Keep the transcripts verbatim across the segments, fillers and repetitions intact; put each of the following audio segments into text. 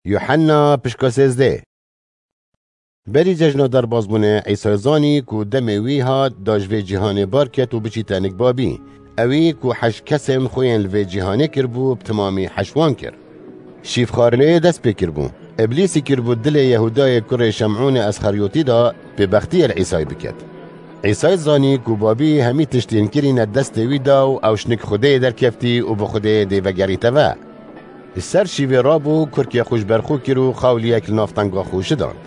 Yuhanna pişka sêzdeh. Berî cejna derbazbûnê Îsay zanî ku demê wî hat da ji vê cîhanê bar ket û biçîte nik Babî. Ewî ku heş kesên xwe yên li vê cîhanê kiribû, bi timamî heş wan kir. Şîvxwarinê dest pê kiribû. Îblîsî kiribû dilê Yehûdayê kurê Şemûnê Esxeryotî de bêbextiyê li Îsay biket. Îsay zanî ku Babî hemî tiştên kirîne destê wî da û ew ji nik Xwedê derkeftî û bi Xwedê dê vegerîte ve. Li ser şîvê rabû, kurkê xwe ji ber xwe kir û xawliyek li navtenga xwe şidand.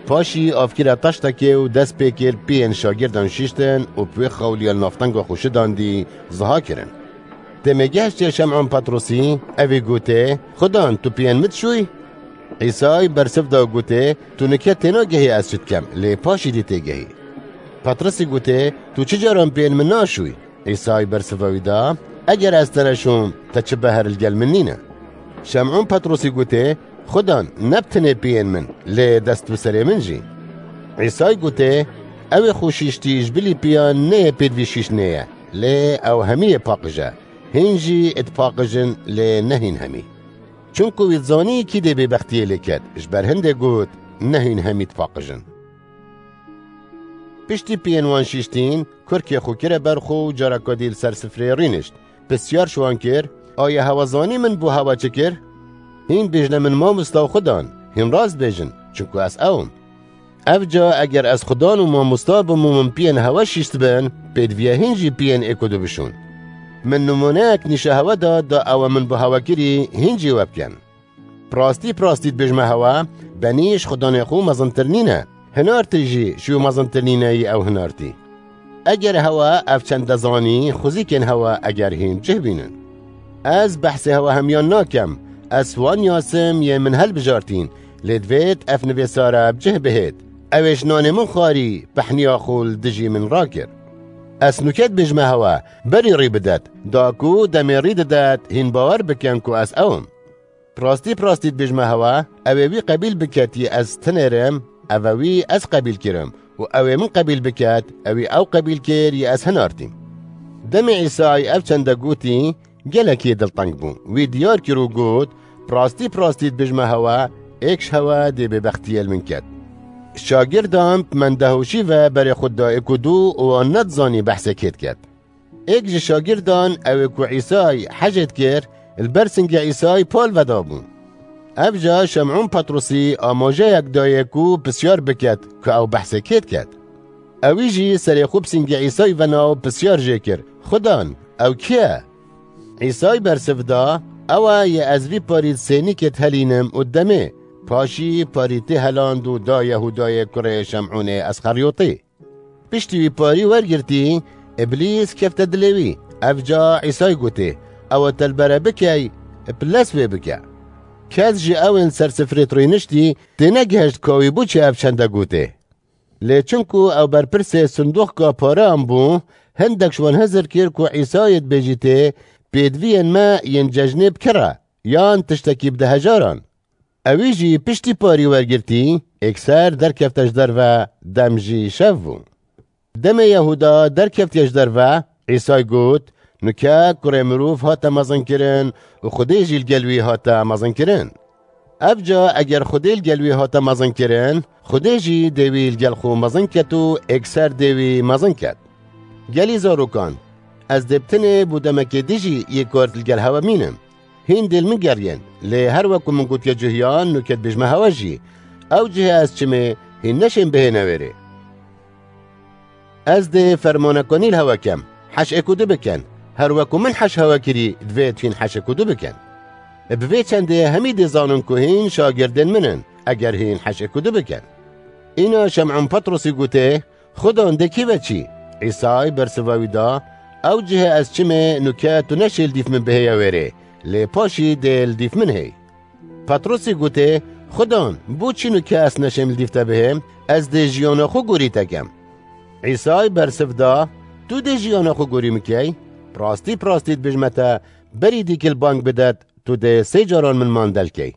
Paşî av kire taştekê û dest pê kir piyên şagirdan şiştin û bi wê xawliya li navtenga xwe şidandî ziha kirin. Demê gehiştiye Şem'on Petrosî, evî gotê, Xudan, tu piyên min dişûyî? Îsay bersiv da û gotê, Tu nike têna gehî ez çi dikem, lê paşî dî têgehî. Petrosî gotê, Tu çi caran piyên min naşûyî? Îsay bersiva wî da, Eger ez te neşûm, te çi beher li gel min nîne. Şem'on Petrosî gotê, Xudan, ne bi tinê piyên min, lê dest bi serê min jî. Îsay gotê, Ew ê xwe şiştî ji bilî piyan neyê pêdivî şiştinê ye, lê ew hemiyê paqij e. Hîn jî dipaqijin, lê ne hîn hemî. Çunku wî dizanî kî dê bêbextiyê lê ket, ji ber hindê got, Ne hîn hemî dipaqijin. Piştî piyên wan şiştîn, kurkê xwe kire ber xwe û careka dî li ser sifrê rînişt. Pisyar ji wan kir, Aya hewe zanî min bo hewe çi kir? Hîn bêjne min, Mamosta û Xudan, hîn rast bêjin, çunku ez ew im. Evca eger ez Xudan û mamosta bim û min piyên hewe şiştibin, pêdiviye hîn jî piyên êk û du bişûn. Min nimûneyek nîşa hewe da, da ewe min bi hewe kirî, hîn jî we bikin. Bi rastî, bi rastî dibêjime hewe, benî ji Xudanê xwe mezintir nîne, hinartî jî ji wî mezintir nîne yî ew hinartî. Eger hewe ev çende zanî, xwezîkên hewe eger hîn cih bînin. Ez behsê hewe hemiyan nakem, ez wan yasim yê min helbijartîn, lê divêt ev nivêsare bi cih bihêt. Ew ê ji nanê min xwarî, pehniya xwe li dijî min rakir. Ez nûke dibêjime hewe, berî rî bidet, da ku demê rî didet, hîn bawer bikin ku ez ew im. Bi rastî, bi rastî dibêjime hewe, ew ê wî qebîl biket yê ez tinêrim, ev e wî ez qebîl kirim û ew ê min qebîl biket, ew ê ew qebîl kir yê ez hinartîm. Demê Îsay ev çende gotî, gelekî dilteng bû. Wî diyar kir û got, Bi rastî, bi rastî dibêjime hewe, êk ji hewe dê bêbextiyê li min ket. Şagirdan bi mendehoşî ve berê xwe da êk û du û wan nedizanî behsê kê diket. Êk ji şagirdan ew ê ku Îsay hecê dikir, li ber singê Îsay pal vedabû. Ev ca Şem'ûn Petrosî amajeyek dayê ku pisyar biket ku ew behsê kê diket. Ewî jî serê xwe bi singê Îsay vena û pisyar jê kir, Xudan, ew kî ye? Îsay bersiv da, Ew e yê ez vî parî di sênîkê dihelînim û demê. Paşî parî tê heland û da Yehûdayê kurê Şem'ûnê Esxeryotî. Piştî wî parî wergirtî, Îblîs kefte dilê wî. Ev ca Îsay gotê, Ew e te li bere bikey, bi lez wê bike. Kes ji ew ên ser sifrê rîniştî tênegihişt ka wî bo çi ev çende gotê. Lê çunku ew berpirsê sindoqka pareyan bû, hindek ji wan hizir kir ku Îsayê dibêjîtê, Pêdiviyên me yên cejnê bi kir e, yan tiştekî bi dehejaran. Ewî jî piştî parî wergirtî, êkser derkefte ji derve, dem jî şev bû. Demê Yehûda derkeftiye ji derve, Îsay got, Nûke kurê mirov hate mezinkirin û Xwedê jî li gel wî hate mezinkirin. Ev ca eger Xwedê li gel wî hate mezinkirin, Xwedê jî dê wî li gel xwe mezin ket û êkser dê wî mezin ket. Gelî zarokan, ez dê bi tinê bo demekê dijî yê kort li gel hewe mînim. Hîn dê li min geriyên, lê her weku min gotiye cuhiyan, nûke dibêjime hewe jî. Ew cihê ez çimê, hîn neşên bihêne wêrê. Ez dê fermanekanî li hewe kem, heş êk û du bikin. Her weku min heş hewe kirî, divêt hîn heş êk û du bikin. Bi vê çendê hemî dê zanin ku hîn şagirdên min in, eger hîn heş êk û du bikin. Îna Şem'ûn Petrosî gotê, Xudan dê kî ve çî? Îsay bersiva wî da, Ew cihê ez çimê nûke tu neşê li dîf min bihêye wêrê, lê paşî dê li dîf min hêy. Petrosî gotê, Xudan, bo çi nûke ez neşêm li dîf te bihêm? Ez dê jiyana xwe gorî te kem. Îsay bersiv da, Tu dê jiyana xwe gorî min key? Bi rastî, bi rastî dibêjime te, berî dîkil bang bidet, tu dê sê caran min mandel key.